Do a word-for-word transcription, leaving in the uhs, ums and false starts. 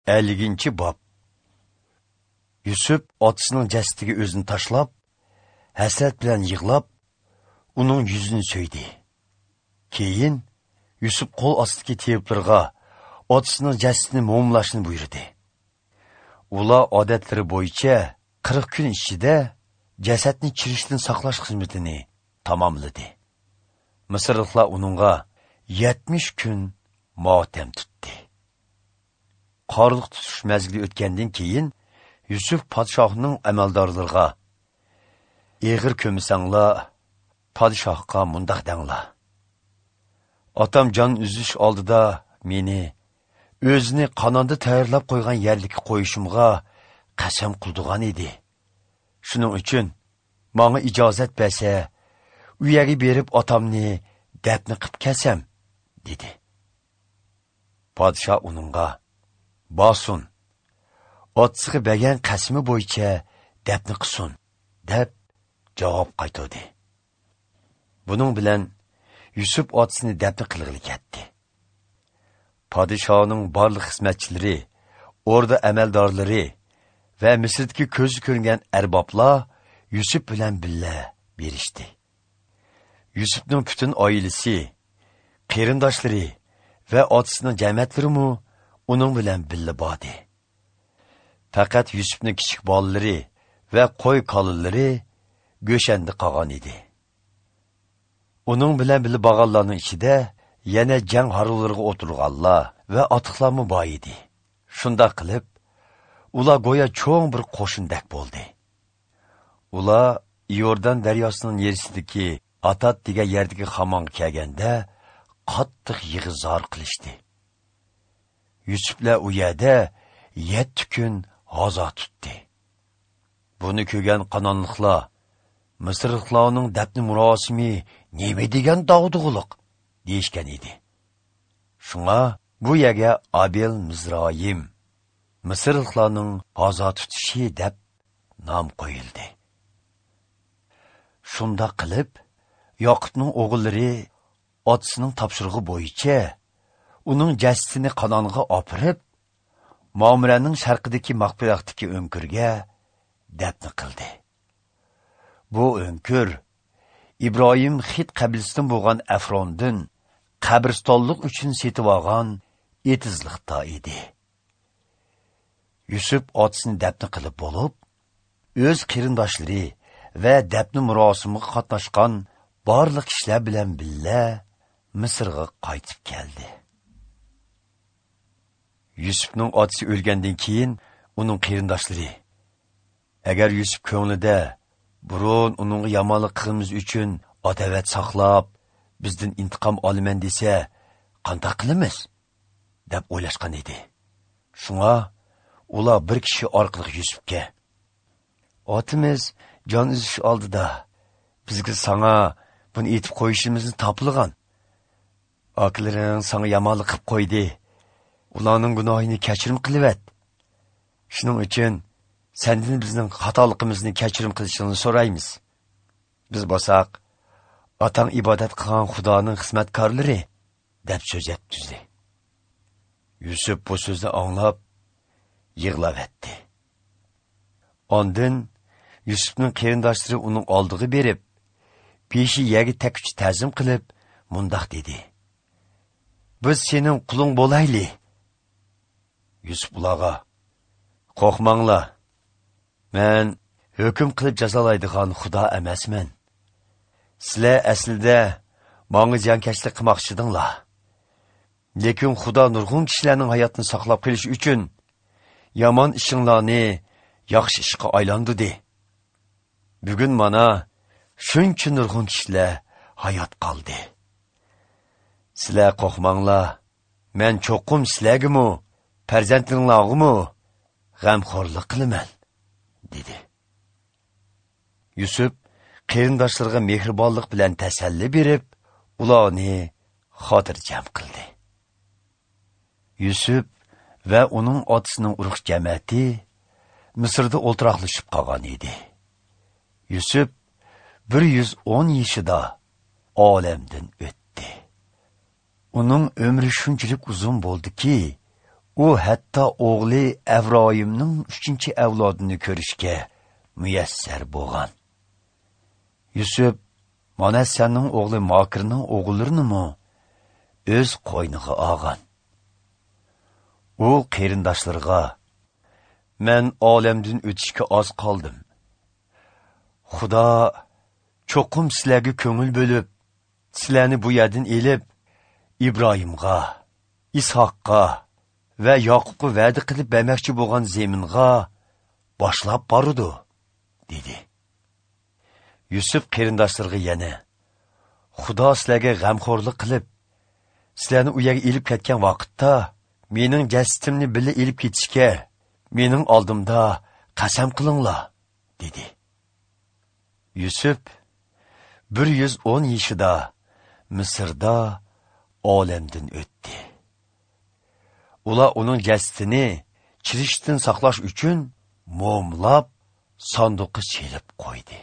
Elliginchi bob. Yusuf otasining jasadiga o'zini tashlab, hasrat bilan yig'lab, uning yuzini so'ydi. Keyin Yusuf qo'l ostidagi teviblarga otasining jasadini mo'mlashni buyurdi. Ular odatlari bo'yicha qirq kun ichida jasadni chirishdan saqlash xizmatini tamomladi. Misrliklar uningga yetmish kun motam tutdi. Qorliq tutish mezgili o'tgandan keyin Yusuf podshohning amaldorlariga: "Eg'ir ko'msanglar, podshohga mundoq danglar: Otam jon uzish oldida meni o'zini Qanonda tayyorlab qo'ygan yerlikka qo'yishimga qasam qildigan edi. Shuning uchun menga ijozat bersa, u yerga berib otamni dafn qilib kelsam", dedi. Podshoh uningga: "Bosun, otasiga bergan qasmi bo'yicha dafn qilsin", deb javob qaytardi. Buning bilan Yusuf otasini dafn qilg'ili ketdi. Podshohning barliq xizmatchilari, o'rda amaldorlari va Misrdagi ko'zi ko'ringan arboblar Yusuf bilan birga berishdi. Yusufning butun oilasi, qarindoshlari va otasining jamiyatlarimi uning bilan birga bordi. Faqat Yusufning kichik bolalari va qo'y qolinlari Go'shanda qolgan edi. Uning bilan birga borganlarning ichida yana jang harulariga o'tirganlar va otiqlarmi bor edi. Shundoq qilib, ular go'yo cho'ng bir qo'shindak bo'ldi. Ular Iordan daryosining yerisidagi Atat degan yerdagi xamonga kelganda qattiq yig'izor qilishdi. Yusuflar u yerda yetti kun g'azo tutdi. Buni ko'rgan qanonliqlar: "Misrliklarning dafn murosimi nima degan dog'dug'uliq?" deyishgan edi. Shunga bu yerga Abel Mizroyim, Misrliklarning g'azo tutishi deb nom qo'yildi. Shunda qilib, Yoqubning o'g'illari otasining topshirig'i bo'yicha uning jasadini Qanonga opirib, Mamrening sharqidagi Maqpiroqdagi o'nkirga dafn qildi. Bu o'nkir Ibrohim Xit qabilasidan bo'lgan Afrondan qabristonlik uchun setib olgan etizliqda edi. Yusuf otasini dafn qilib bo'lib, o'z qarindoshlari va dafn murosimiga qatnashgan barliq kishilar bilan birga Misrga qaytib keldi. Yusufning otasi o'lgandan keyin uning qarindoshlari: "Agar Yusuf ko'nglida burun uningga yomonlik qilimiz uchun adovat saqlab, bizdan intiqom olaman desa, qanday qilamiz?" deb o'ylashgan edi. Shunga ular bir kishi orqali Yusufga: "Otamiz jon uzish oldida bizga sana buni aytib qo'yishimizni topilgan. Akalaring sana yomonlik qilib qo'ydi. Ularning gunohini kechirim qilivet. Shuning uchun sendan bizning xatoligimizni kechirim qilishingni so'raymiz. Biz bo'lsak, otang ibodat qilgan Xudoning xizmatkorlari", deb so'z yetkazdi. Yusuf bu so'zni anglab yig'lavatdi. Ondan Yusufning qarindoshlari uning oldiga berib, beshi yerga takkuch ta'zim qilib, mundoq dedi: "Biz sening quling bo'layli." Yusuf ularga: "Qo'rqmanglar. Men hukm qilib jazolaydigan Xudo emasman. Sizlar aslida menga ziyonkashlik qilmoqchidinglar. Lekin Xudo nurg'un kishilarning hayotini saqlab qolish uchun yomon ishinglarni yaxshi ishga aylandirdi. Bugun mana shuncha nurg'un kishilar hayot qoldi. Sizlar qo'rqmanglar. Men cho'qim sizlarga-mu, farzandlaringlarga-mu g'amxo'rlik qilaman", dedi. Yusuf qarindoshlariga mehribonlik bilan tasalli berib, ularni xotirjam qildi. Yusuf va uning otasining urug' jamiyati Misrda o'ltiroqlashib qolgan edi. Yusuf bir yuz o'n yoshida olamdan o'tdi. Uning umri shunchalik uzun bo'ldiki, U hatto o'g'li Avroyimning uchinchi avlodini ko'rishga muyassar bo'lgan. Yusuf Manassaning o'g'li Makirning o'g'illarini o'z qo'yniga olgan. U qarindoshlarga: "Men olamdan o'tishga oz qoldim. Xudo cho'qim sizlarga ko'ngil bo'lib, sizlarni bu yerdan elib, Ibrohimga, Ishoqqa va Yoqubga va'da qilib bermoqchi bo'lgan zeminga boshlab bordi", dedi. Yusuf qarindoshlarga yana: "Xudo sizlarga g'amxo'rlik qilib, sizlarni u yerga elib ketgan vaqtda mening jasadimni birga elib ketishga mening oldimda qasam qilinglar", dedi. Yusuf bir yuz o'n yoshida Misrda olamdan o'tdi. Ular uning jasadini chirishdan saqlash uchun mo'mlab sanduqqa chelib qo'ydi.